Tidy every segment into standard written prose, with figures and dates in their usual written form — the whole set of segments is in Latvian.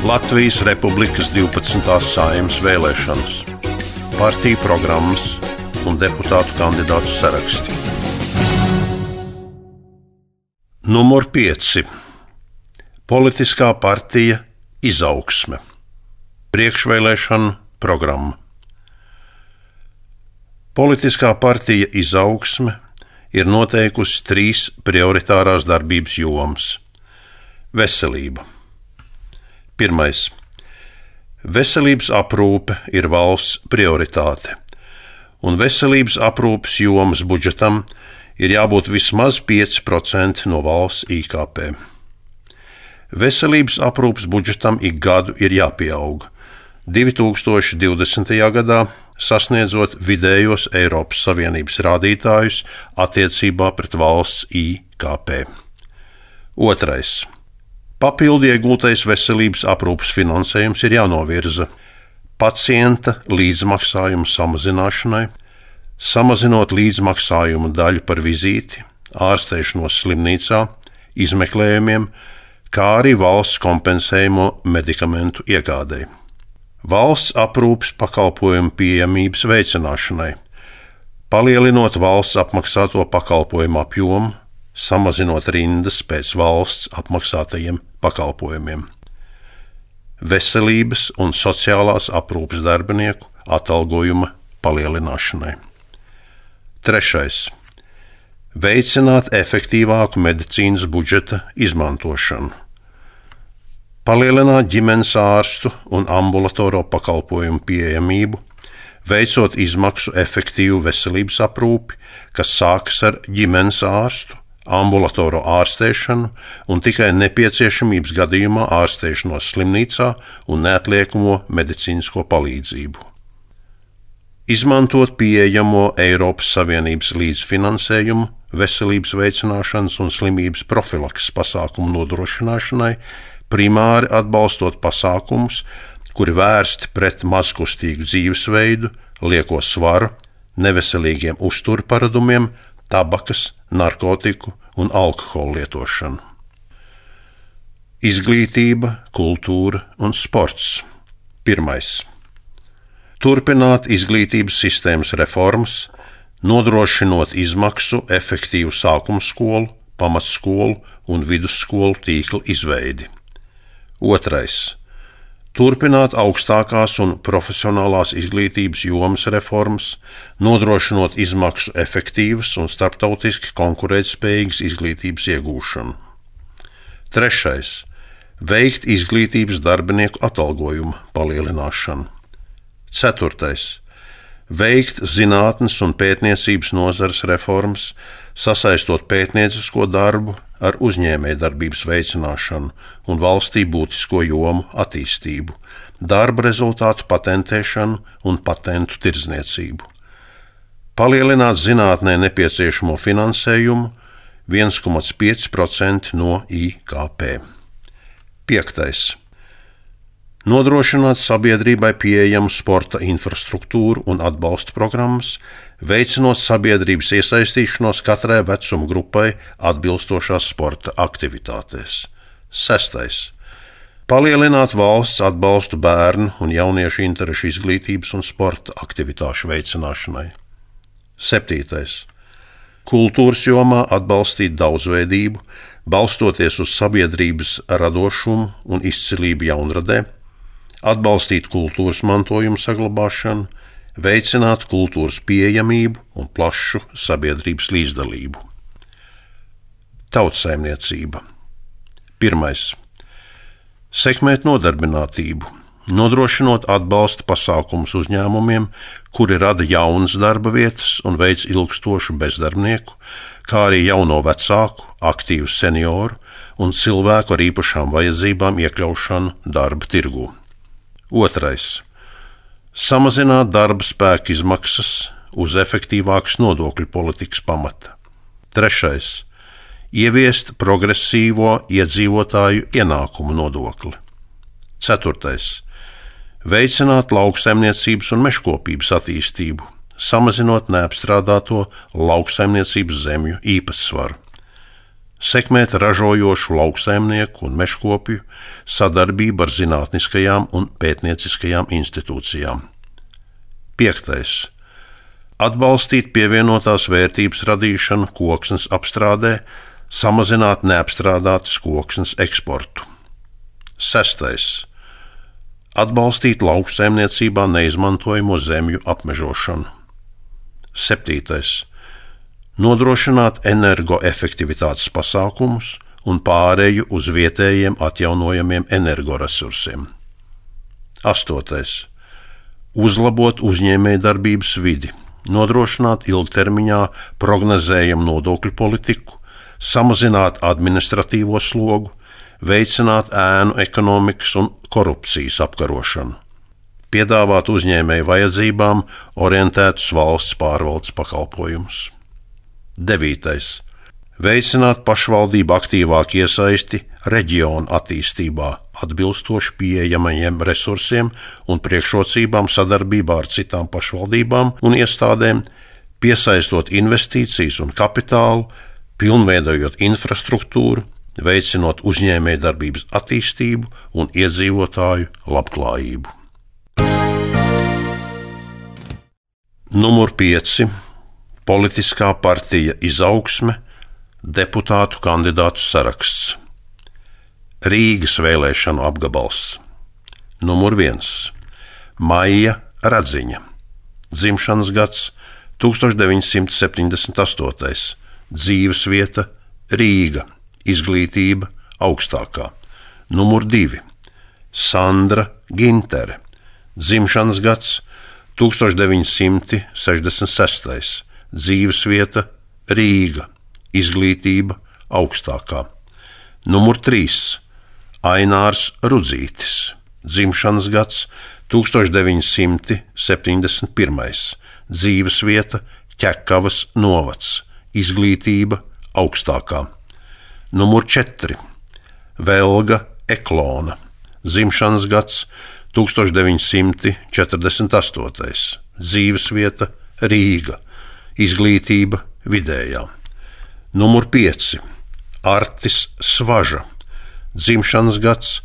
Latvijas Republikas 12. Saeimas vēlēšanas, partiju programmas un deputātu kandidātu saraksti. Numur 5. Politiskā partija Izaugsme. Priekšvēlēšanu programma. Politiskā partija Izaugsme ir noteikusi 3 prioritārās darbības jomas. Veselība. 1. Veselības aprūpe ir valsts prioritāte, un veselības aprūpes jomas budžetam ir jābūt vismaz 5% no valsts IKP. Veselības aprūpes budžetam ik gadu ir jāpieaug, 2020. gadā sasniedzot vidējos Eiropas Savienības rādītājus attiecībā pret valsts IKP. 2. Papildu iegūtais veselības aprūpes finansējums ir jānovirza pacienta līdzmaksājumu samazināšanai, samazinot līdzmaksājumu daļu par vizīti, ārstēšanos slimnīcā, izmeklējumiem, kā arī valsts kompensējumu medikamentu iegādei. Valsts aprūpes pakalpojumu pieejamības veicināšanai, palielinot valsts apmaksāto pakalpojumu apjomu, samazinot rindas pēc valsts apmaksātajiem pakalpojumiem. Veselības un sociālās aprūpes darbinieku atalgojuma palielināšanai. 3. Veicināt efektīvāku medicīnas budžeta izmantošanu. Palielināt ģimenes ārstu un ambulatoro pakalpojumu pieejamību, veicot izmaksu efektīvu veselības aprūpi, kas sākas ar ģimenes ārstu, ambulatoro ārstēšanu un tikai nepieciešamības gadījumā ārstēšanos slimnīcā un neatliekamo medicīnisko palīdzību. Izmantot pieejamo Eiropas Savienības līdzfinansējumu veselības veicināšanas un slimības profilakses pasākumu nodrošināšanai, primāri atbalstot pasākumus, kuri vērsti pret mazkustīgu dzīvesveidu, lieko svaru, neveselīgiem uzturparadumiem, tabakas, narkotiku un alkohola lietošanu. Izglītība, kultūra un sports. 1. Turpināt izglītības sistēmas reformas, nodrošinot izmaksu efektīvu sākumskolu, pamatskolu un vidusskolu tīkla izveidi. 2. Turpināt augstākās un profesionālās izglītības jomas reformas, nodrošinot izmaksu efektīvas un starptautiski konkurētspējīgas izglītības iegūšanu. 3. Veikt izglītības darbinieku atalgojumu palielināšanu. 4. Veikt zinātnes un pētniecības nozares reformas, sasaistot pētniecisko darbu ar uzņēmējdarbības veicināšanu un valstī būtisko jomu attīstību, darba rezultātu patentēšanu un patentu tirdzniecību. Palielināt zinātnē nepieciešamo finansējumu 1,5% no IKP. 5. Nodrošināt sabiedrībai pieejamu sporta infrastruktūru un atbalsta programmas, veicinot sabiedrības iesaistīšanos katrai vecuma grupai atbilstošās sporta aktivitātēs. 6. Palielināt valsts atbalstu bērnu un jauniešu interešu izglītības un sporta aktivitāšu veicināšanai. 7. Kultūras jomā atbalstīt daudzveidību, balstoties uz sabiedrības radošumu un izcilību jaunradē, atbalstīt kultūras mantojumu saglabāšanu, veicināt kultūras pieejamību un plašu sabiedrības līdzdalību. Tautsaimniecība. 1. Sekmēt nodarbinātību, nodrošinot atbalsta pasākumus uzņēmumiem, kuri rada jaunas darba vietas un veic ilgstošu bezdarbnieku, kā arī jauno vecāku, aktīvu senioru un cilvēku ar īpašām vajadzībām iekļaušanu darba tirgū. 2. Samazināt darba spēka izmaksas uz efektīvākas nodokļu politikas pamata. 3. Ieviest progresīvo iedzīvotāju ienākumu nodokli. 4. Veicināt lauksaimniecības un mežkopības attīstību, samazinot neapstrādāto lauksaimniecības zemju īpatsvaru. sekmēt ražojošu lauksaimnieku un mežkopju sadarbību ar zinātniskajām un pētnieciskajām institūcijām. 5. Atbalstīt pievienotās vērtības radīšanu koksnes apstrādē, samazināt neapstrādātas koksnes eksportu. 6. Atbalstīt lauksaimniecībā neizmantojamo zemju apmežošanu. 7. Nodrošināt energoefektivitātes pasākumus un pāreju uz vietējiem atjaunojamiem energoresursiem. 8. Uzlabot uzņēmējdarbības vidi, nodrošināt ilgtermiņā prognozējamu nodokļu politiku, samazināt administratīvo slogu, veicināt ēnu ekonomikas un korupcijas apkarošanu, piedāvāt uzņēmēju vajadzībām orientētus valsts pārvaldes pakalpojumus. 9. Veicināt pašvaldību aktīvāku iesaisti reģionu attīstībā, atbilstoši pieejamajiem resursiem un priekšrocībām sadarbībā ar citām pašvaldībām un iestādēm, piesaistot investīcijas un kapitālu, pilnveidojot infrastruktūru, veicinot uzņēmējdarbības attīstību un iedzīvotāju labklājību. Numur 5. Politiskā partija Izaugsme, deputātu kandidātu saraksts. Rīgas vēlēšanu apgabals. Numur 1. Maija Radziņa. Dzimšanas gads 1978. Dzīvesvieta Rīga. Izglītība augstākā. Numur 2. Sandra Gintere. Dzimšanas gads 1966. Dzīvesvieta Rīga. Izglītība augstākā. Numur 3. Ainārs Rudzītis. Dzimšanas gads 1971. Dzīvesvieta Ķekavas novads. Izglītība augstākā. Numur 4. Velga Eklona. Dzimšanas gads 1948. Dzīvesvieta Rīga. Izglītība vidējā. Numur 5. Artis Svaža. Dzimšanas gads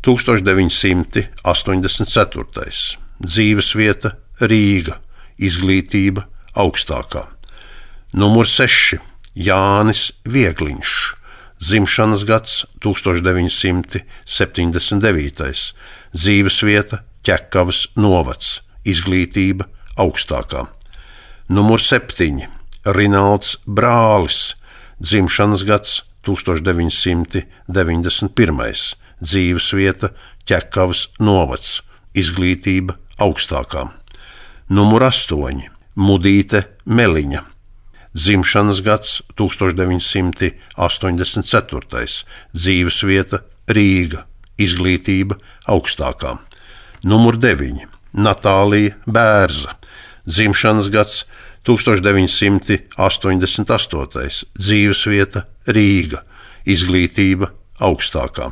1984. Dzīvesvieta Rīga. Izglītība augstākā. Numur 6. Jānis Viegliņš. Dzimšanas gads 1979. Dzīvesvieta Ķekavas novads. Izglītība augstākā. Numur 7. Rinalds Brālis. Dzimšanas gads 1991. Dzīvesvieta Ķekavas novads. Izglītība augstākā. Numur 8. Mudīte Meliņa. Dzimšanas gads 1984. Dzīvesvieta Rīga. Izglītība augstākā. Numur 9. Natālija Bērza. Dzimšanas gads 1988. Dzīvesvieta Rīga. Izglītība augstākā.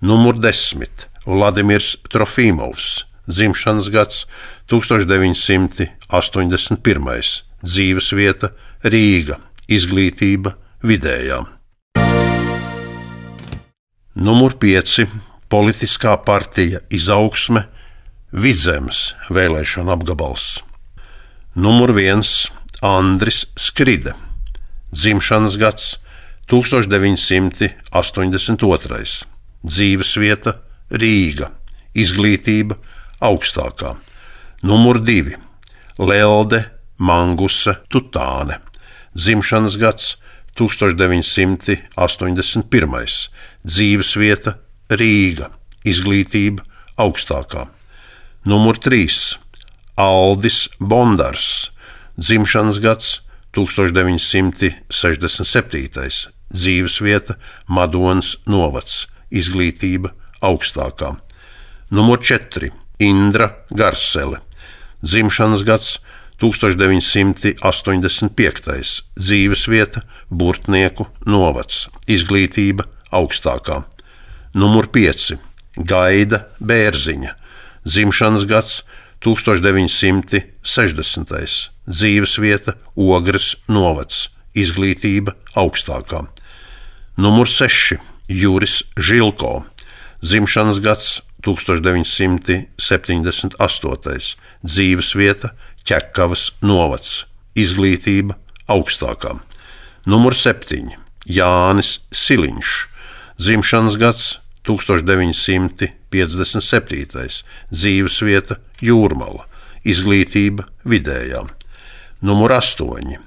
Numur 10. Vladimirs Trofimovs. Dzimšanas gads 1981. Dzīvesvieta Rīga. Izglītība vidējā. Numur 5. Politiskā partija Izaugsme, Vidzemes vēlēšanu apgabals. Numur 1. Andris Skride. Dzimšanas gads 1982. Dzīvesvieta Rīga. Izglītība augstākā. Numur 2. Lelde Manguse Tutāne. Dzimšanas gads 1981. Dzīvesvieta Rīga. Izglītība augstākā. Numur 3. Aldis Bondars. Dzimšanas gads 1967. Dzīvesvieta Madonas novads. Izglītība augstākā. Numur 4. Indra Garsele. Dzimšanas gads 1985. Dzīvesvieta Burtnieku novads. Izglītība augstākā. Numur 5. Gaida Bērziņa. Dzimšanas gads 1960. Dzīvesvieta Ogres novads. Izglītība augstākā. Numur 6. Juris Žilko, dzimšanas gads 1978, dzīvesvieta Ķekavas novads, izglītība augstākā. Numur 7. Jānis Siliņš, dzimšanas gads 1957, dzīvesvieta Jūrmala, izglītība vidējā. Numur 8.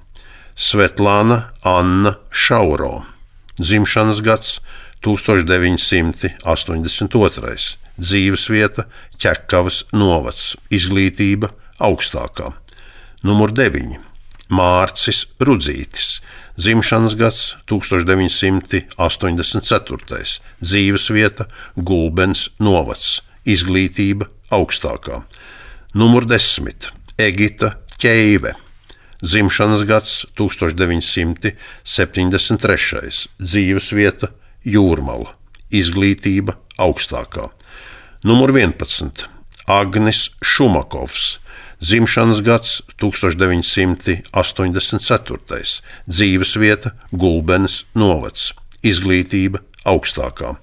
Svetlana Anna Šauro, dzimšanas gads 1982, dzīvesvieta Ķekavas novads, izglītība augstākā. Numur 9. Mārcis Rudzītis, dzimšanas gads 1984, dzīvesvieta Gulbens novads, izglītība augstākā. Numur 10. Egita Ķeive, dzimšanas gads 1973, dzīvesvieta Jūrmala, izglītība augstākā. Numur 11. Agnis Šumakovs, dzimšanas gads 1984, dzīvesvieta Gulbenes novads, izglītība augstākā.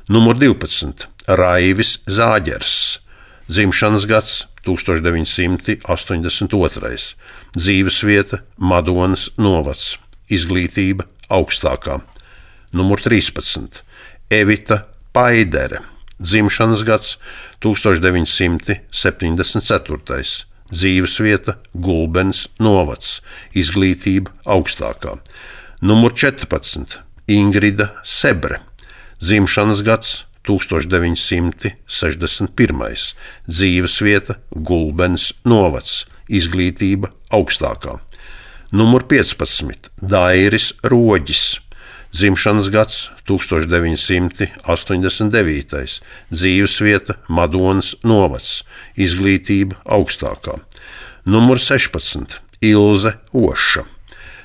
Numur 12. Raivis Zāģers, dzimšanas gads 1982, dzīvesvieta Madonas novads, izglītība augstākā. Numur 13. Evita Paidere, dzimšanas gads 1974, dzīvesvieta Gulbens novads, izglītība augstākā. Numur 14. Ingrida Sebre, dzimšanas gads 1961, dzīvesvieta Gulbens novads, izglītība augstākā. Numur 15. Dairis Roģis, dzimšanas gads 1989, dzīvesvieta Madonas novads, izglītība augstākā. Numur 16. Ilze Oša,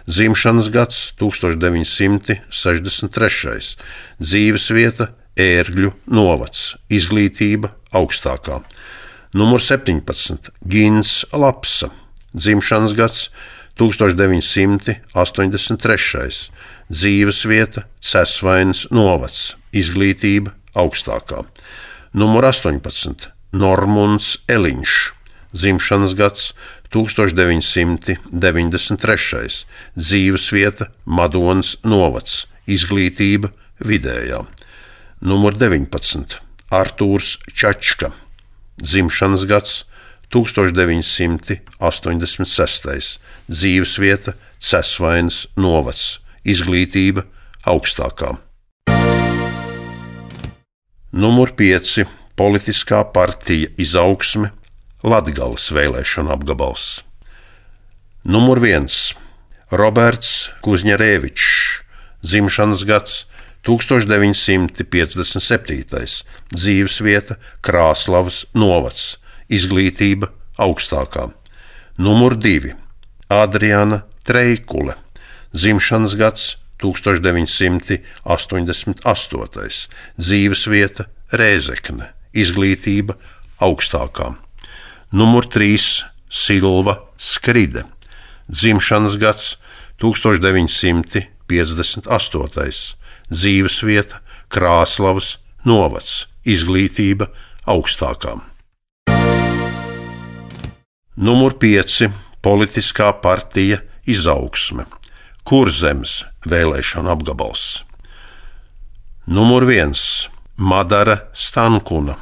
dzimšanas gads 1963, dzīvesvieta Ērgļu novads, izglītība augstākā. Numur 17. Gins Lapsa, dzimšanas gads 1983, dzīvesvieta Cesvainas novads, izglītība augstākā. Numur 18. Normunds Eliņš, dzimšanas gads 1993, dzīvesvieta Madonas novads, izglītība vidējā. Numur 19. Artūrs Čačka, dzimšanas gads 1986, dzīvesvieta Cesvainas novads, izglītība augstākā. Numur 5. Politiskā partija Izaugsme, Latgales vēlēšana apgabals. Numur 1. Roberts Kuzņerevičs, dzimšanas gads 1957, dzīvesvieta Krāslavas novads, izglītība augstākā. Numur 2. Adriana Treikule, dzimšanas gads 1988, dzīvesvieta Rēzekne, izglītība augstākā. Numur 3. Silva Skride, dzimšanas gads 1958, dzīvesvieta Krāslavas novads, izglītība augstākā. Numur 5. Politiskā partija Izaugsme, Kurzemes vēlēšana apgabals. Numur 1. Madara Stankuna,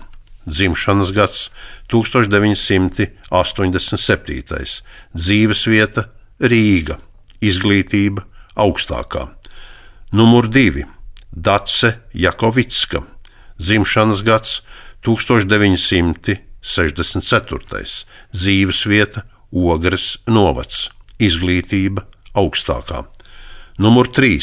dzimšanas gads 1987, dzīvesvieta Rīga, izglītība augstākā. Numur 2. Dace Jakovicka, dzimšanas gads 1964, dzīvesvieta Ogres novads, izglītība augstākā. Numur 3.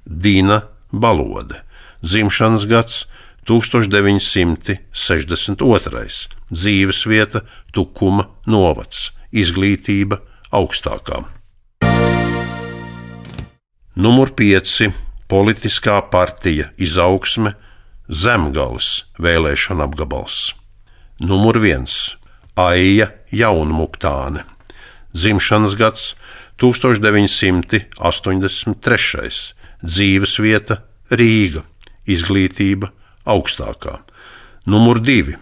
Dina Balode, dzimšanas gads 1962, dzīvesvieta Tukuma novads, izglītība augstākā. Numur 5. Politiskā partija Izaugsme, Zemgales vēlēšana apgabals. Numur 1. Aija Jaunmuktāne, dzimšanas gads 1983, dzīvesvieta Rīga, izglītība augstākā. Numur 2.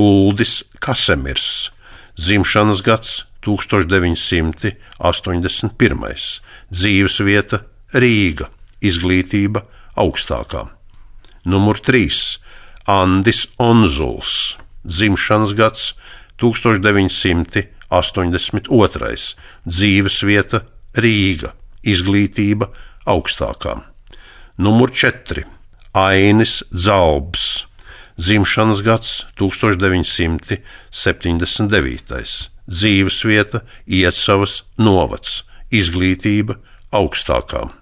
Uldis Kasemirs, dzimšanas gads 1981, dzīvesvieta Rīga, izglītība augstākā. Numur 3. Andis Onzuls, dzimšanas gads 1982, dzīvesvieta Rīga, izglītība augstākā. Numur 4. Ainis Zalbs, dzimšanas gads 1979, dzīvesvieta Iecavas novads, izglītība augstākā.